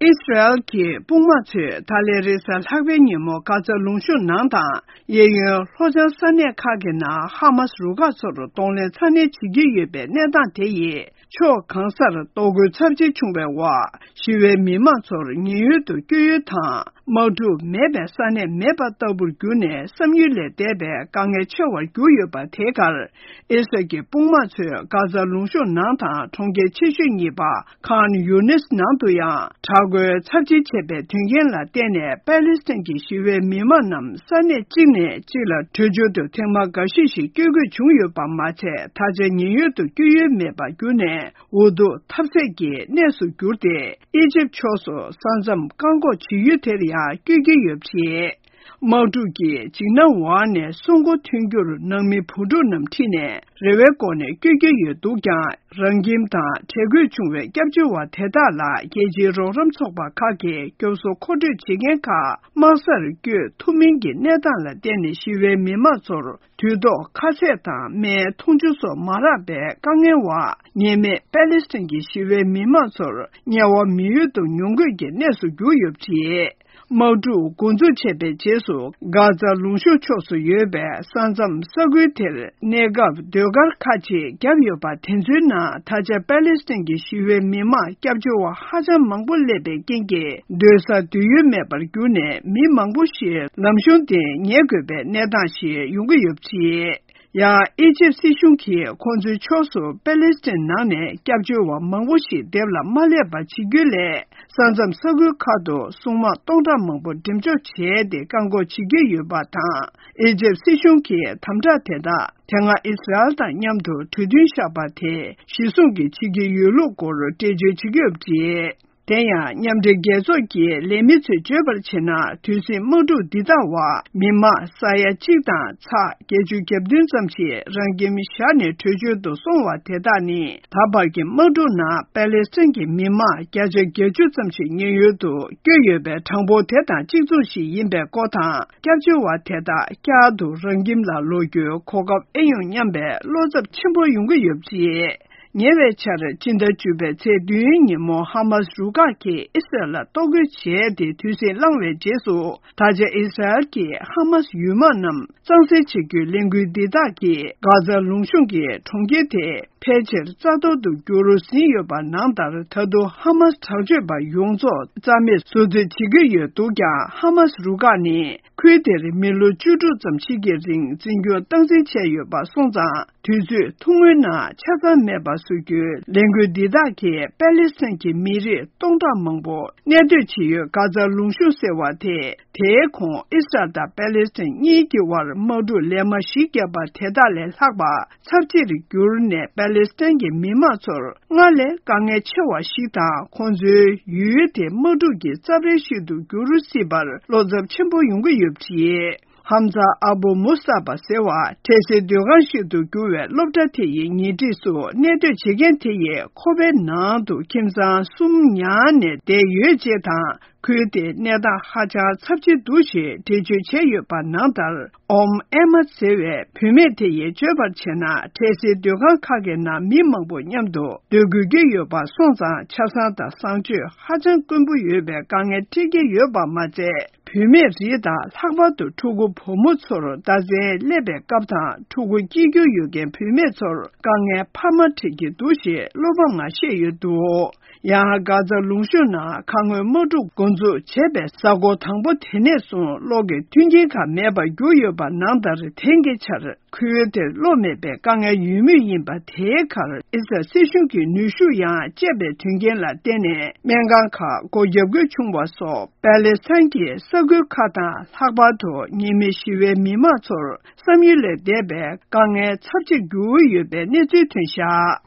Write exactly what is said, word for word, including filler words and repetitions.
ཨི་སི་རལ་གྱི་དཔུང་དམག་ཚོས་ད་ལན་རེས་གཟའ་ལྷག་པའི་ཉིན་མོ་གྷ་ཛ་ལུང་གཤོང་ནང་དང་། གཡས་གཡོན་ལྷོ་བྱང་ས་གནས་ཁག་གི་ནང་ཧ་མཱ་སི་རུ་ཁག་ཚོར་གདོང་ལེན་ཚ་ནན་བྱེད་ཀྱི་ཡོད་པའི་གནས་སྟངས་དེ་ཡིས། ཕྱོགས་གང་སར་གཏོར་རྒོལ་ཚབས་ཆེ་བྱུང་བའི་འོག་ཞི་བའི་མི་མང་ཚོར་ཉེན་གཡོལ་དུ་བསྐྱོད་ཡུལ་དང་། དམག་འཁྲུག་མེད་པའི་ས་གནས་མེད་པ་ལྟ་བུར་གྱུར་ནས། བསམ་ཡུལ་ལས་འདས་པའི་དཀའ་ངལ་ཆེ་བར་གྱུར་ཡོད་པ། དེ་གར་ཨི་སི་རལ་གྱི་དཔུང་དམག་ཚོས་གྷ་ཛ་ལུང་གཤོང་ནང་དང་གྲོང་ཁྱེར་ཆེ་ཤོས་གཉིས་པ། ཁཱན་ཡུ་ནིས་ནང་དུ་ཡང་དྲག་རྒོལ་ཚབས་ཆེ་བྱས་པའི་དོན་རྐྱེན་ལ་བརྟེན་ནས། པཱ་ལི་སི་ཐན་གྱི་ཞི་བའི་མི་མང་རྣམས་ས་གནས་གཅིག་ནས་གཅིག་ལ་བྲོས་བྱོལ་དུ་ཐེངས་མ་འགའ་ཤས་ཤིག་བསྐྱོད་དགོས་བྱུང་ཡོད་པ་མ་ཚད། ད་ཆ་ཉེན་གཡོལ་དུ་བསྐྱོད་ཡུལ་མེད་པར་གྱུར་ནས། འུ་ཐུག་ཐབས་ཟད་ཀྱི་གནས་སུ་གྱུར་ཏེ། ཨི་ཇིབ་ཕྱོགས་སུ་ས་མཚམས་བཀག་འགོག་བྱེད་ཡུལ་དེར་ཡང་བསྐྱོད་ཀྱི་ཡོད་པ་རེད། དམག་འཁྲུག་གིs am འོག་ནས་སྲུང་འཁོར་ཐོན་རྒྱུར་ནང་མི་བུ་ཕྲུག་རྣམས་ཁྲིད་ནས་རེ་བའི་སྒོ་ནས་བསྐྱོད་ཀྱི་ཡོད་འདུག་ཀྱང་། རང་ཁྱིམ་དང་བྲལ་དགོས་བྱུང་བའི་སྐྱབས་བཅོལ་བ་དེ་དག་ལ་རྒྱལ་སྤྱིའི་རོགས་རམ་ཚོགས་པ་ཁག་གིས་སྐྱོབ་གསོ་མཁོ་སྤྲོད་བྱེད་མཁན་ཁག་དམག་སར་བསྐྱོད་ཐུབ་མིན་གྱི་གནས་སྟངས་ལ་བརྟེན་ནས། ཞི་བའི་མི་མང་ཚོར་དུས་ཐོག་ཁ་ཟས་དང་སྨན། འཐུང་ཆུ་སོགས་མ་རག་པའི་དཀའ་ངལ་འོག་ཉེས་མེད་པཱ་ལི་སི་ཐན་གྱི་ཞི་བའི་མི་མང་ཚོར་དམྱལ་བ་མི་ཡུལ་དུ་མྱོང་དགོས་ཀྱི་གནས་སུ་གྱུར་ཡོད་པ་རེད། དམག་འཁྲུག་འགོ་འཛུགས་བྱས་པའི་རྗེས་སུ། གྷ་ཛ་ལུང་གཤོང་ཕྱོགས་སུ་ཡོད་པའི་ས་མཚམས་ས་ཁུལ་དེར་གནས་སྐབས་ཟློས་གར་ཁག་ཅིག་བརྒྱབ་ཡོད་པ། དེ་ཚོའི་ནང་ད་ཆ་པཱ་ལི་སི་ཐན་གྱི་ཞི་བའི་མི་མང་སྐྱབས་བཅོལ་བ་ཧ་ཅང་མང་པོ་སླེབས་པའི་རྐྱེན་གྱིས། སྡོད་ས་སྡོད་ཡུལ་མེད་པར་གྱུར་ནས། མི་མང་པོ་ཞིག་ལམ་གཞུང་དེ་ཉལ་དགོས་པའི་གནས་སྟངས་ཤིག་ཡོང་གི་ཡོད་པ་རེད། ཡང་། ཨི་ཇིབ་སྲིད་གཞུང་གིས་ཁོང་ཚོའི་ཕྱོགས་སུ་པཱ་ལི་སི་ཐན་ནང་ནས་སྐྱབས་བཅོལ་བ་མང་པོ་ཞིག་འདེབས་ལ་མ་སླེབས་པ་བྱེད་རྒྱུའི་སླད། ས་མཚམས་ས་ཁུལ་ཁག་ཏུ་སྲུང་དམག་སྟོང་ཕྲག་མང་པོ་འགྲེམས་འཇོག་བྱས་ཏེ། བཀག་འགོག་བྱེད་ཀྱི་ཡོད་པ་དང་། ཨི་ཇིབ་སྲིད་གཞུང་གིས་དམ་དྲག་དེ་དག་དེ་སྔ་ཨི་སི་རལ་དང་མཉམ་དུ་གྲོས་མཐུན་བཞག་པ་དེ་གཞིར་བཟུང་གིས་བྱེད་ཀྱི་ཡོད་ལུགས་སྐོར་འགྲེལ་བརྗོད་བྱེད་ཀྱི་ཡོད་པ་རེད། དེ་ཡང་། མཉམ་འབྲེལ་རྒྱལ་ཚོགས་ཀྱི་ལས་མི་ཚོས་བརྗོད་པར་བྱས་ན། དུས་ཟིང་དམག་འཁྲུག་འདི་དག་འོག་མི་མང་ས་ཡ་གཅིག་དང་ཚེག་བརྒྱད་ཅུ་གྱ་བདུན་ཙམ་ཞིག་རང་ཁྱིམ་བཞག་ནས་བྲོས་བྱོལ་དུ་སོང་བ་དེ་དག་ནི། ད་བར་གྱི་དམག་འཁྲུག་ནང་པཱ་ལི་སི་ཐན་གྱི་མི་མང་བརྒྱ་ཆ་བརྒྱད་ཅུ་ཙམ་ཞིག་ཉེན་གཡོལ་དུ་བསྐྱོད་ཡོད་པའི་གྲངས་འབོར་དེ་དང་གཅིག་མཚུངས་ཤིག་ཡིན་པའི་སྐོར་དང་། སྐྱབས་བཅོལ་བ་དེ་དག་བསྐྱར་དུ་རང་ཁྱིམ་ལ་ལོག་རྒྱུའི་གོ་སྐབས་ཨེ་ཡོང་སྙམ་པའི་བློ་འཚབ་ཆེན་པོ་ཡོང་གི་ཡོད་པ་རེད། ཉེ་བའི་ཆར། སྤྱི་ཟླ་བཅུ་པའི་ཚེས་བདུན་ཉིན་མོ། ཧ་མཱ་སི་རུ་ཁག་གིས་ཨི་སི་རལ་ལ་གཏོར་རྒོལ་བྱས་ཏེ་དུས་ཟིང་བསླངས་བའི་རྗེས་སུ། ད་ཆ་ཨི་སི་རལ་གྱིས་ཧ་མཱ་སི་ཡུལ་དམག་རྣམས་གཙང་སེལ་བྱེད་རྒྱུའི་ལས་འགུལ་འདི་དག་གིས། གྷ་ཛ་ལུང་གཤོང་གི་གྲོང་ཁྱེར་དེ་ཕལ་ཆེར་རྩ་གཏོར་དུ་གྱུར་ཟིན་ཡོད་པ་ནང་ལྟར། ད་དུང་ཧ་མཱ་སི་དྲག་སྤྱོད་པ་ཡོངས་རྫོགས་རྩ་མེད་བཟོ་རྩིས་བྱེད་ཀྱི་ཡོད་འདུག་ཀྱང་། ཧ་མཱ་སི་རུ་ཁག་ནི། ཁུལ་དེར་མི་ལོ་བཅུ་དྲུག་ཙམ་ཞིག་གི་རིང་འཛིན་སྐྱོང་སྟངས་འཛིན་བྱས་ཡོད་པ་སོང་ཙང་། དུས་ཚོད་ཐུང་ངུའི་ནང་ཆ་ཚང་མེད་པ་བཟོ་རྒྱུའི་ལས་འགུལ་འདི་དག་གིས་པཱ་ལི་སི་ཐན་གྱི་མི་རིགས་སྟོང་ཕྲག་མང་པོ་གནས་སྡོད་བྱེད་ཡུལ་གྷ་ཛ་ལུང་གཤོང་ཟེར་བ་དེ། དེའི་གོང་ཨི་སི་རལ་དང་པཱ་ལི་སི་ཐན་གཉིས་ཀྱི་དབར་དམག་འཁྲུག་ལན་མ་བཞི་བརྒྱབ་པ་དེ་དག་ལས་ལྷག་པ་ཚབས་ཆེར་གྱུར་ནས། པཱ་ལི་སི་ཐན་གྱི་མི་མང་ཚོར། སྔར་ལས་དཀའ་ངལ་ཆེ་བ་ཞིག་དང་། ཁོང་ཚོའི་ཡུལ་དེ་དམག་འཁྲུག་གི་རྩབ་རལ་ཞིག་ཏུ་འགྱུར་སྲིད་པར་བློ་འཚབ་ཆེན་པོ་ཡོང་གི་ཡོད་པ་རེད། ཧམ་ཛ་ཨ་བུ་མུ་སྟ་པ་ཟེར་བ། འཕྲལ་སེལ་སྡོད་ཁང་ཞིག་ཏུ་གྱུར་བའི་སློབ་གྲྭ་དེ་ཡི་ཉེ་འཁྲིས་སུ་གནས་སྡོད་བྱེད་མཁན་དེ་ཡིས། ཁོ་པའི་ནང་དུ་ཁྱིམ་ཚང་གསུམ་ཉར་ནས་བསྡད་ཡོད་ཅེས་དང་། ཁུལ་དེའི་གནས་སྟངས་ཧ་ཅང་ཚབས་ཆེ་འདུག་ཞེས་འགྲེལ་བརྗོད་བྱས་ཡོད་པ་ནང་ལྟར། ཨོམ་ཨེ་མ་ཟེར་བའི་བུད་མེད་དེ་ཡིས་བརྗོད་པར་བྱས་ན། འཕྲལ་སེལ་སྡོད་ཁང་ཁག་གི་ནང་མི་མང་པོ་མཉམ་དུ་སྡོད་དགོས་ཀྱི་ཡོད་པ་སོང་ཙང་། ཆབ་གསང་དང་གསང་སྤྱོད་ཧ་ཅང་དཀོན་པོ་ཡོད་པའི་དཀའ་ངལ་འཕྲད་ཀྱི་ཡོད་པ་མ་ཚད། བུད་མེད་རིགས་དང་། ལྷག་པར་དུ་ཕྲུ་གུ་བུ་མོ་ཚོར་རྟགས་མཚན་སླེབས་པའི་སྐབས་དང་། ཕྲུ་གུ་སྐྱེ་རྒྱུ་ཡོད་མཁན་བུད་མེད་ཚོར་དཀའ་ངལ་འཕར་མ་འཕྲད་ཀྱི་འདུག་ཞེས་བློ་ཕམ་ངང་བཤད་ཡོད་འདུག་ཡང་། གྷ་ཛ་ལུང་གཤོང་ནང་ཁ་སྔོན་དམག་འཁྲུག་འགོ་འཛུགས་བྱས་པའི་གཟའ་འཁོར་དང་པོ་དེ་ནས་བཟུང་གློག་གི་མཐུན་རྐྱེན་ཁག་མེད་པར་གྱུར་ཡོད་པ་ནང་ལྟར། དེང་གི་ཆར་ཁུལ་དེར་གློག་མེད་པའི་དཀའ་ངལ་ཡོད་མུས་ཡིན་པ། དེའི་ཁར་ཨི་སི་རལ་སྲིད་གཞུང་གིས་ནུས་ཤུགས་ཡང་སྤྱད་པའི་དོན་རྐྱེན་ལ་བརྟེན་ནས། སྨན་ཁང་ཁག་སྒོ་བརྒྱབ་དགོས་བྱུང་བ་སོགས། པཱ་ལེ་སི་ཐན་གྱི་ས་ཁུལ་ཁག་དང་། ལྷག་པར་དུ་ཉེས་མེད་ཞི་བའི་མི་མང་ཚོར་བསམ་ཡུལ་ལས་འདས་པའི་དཀའ་ངལ་ཚབས་ཆེ་གྱུར་ཡོད་པའི་གནས་ཚུལ་ཐོན་བཞག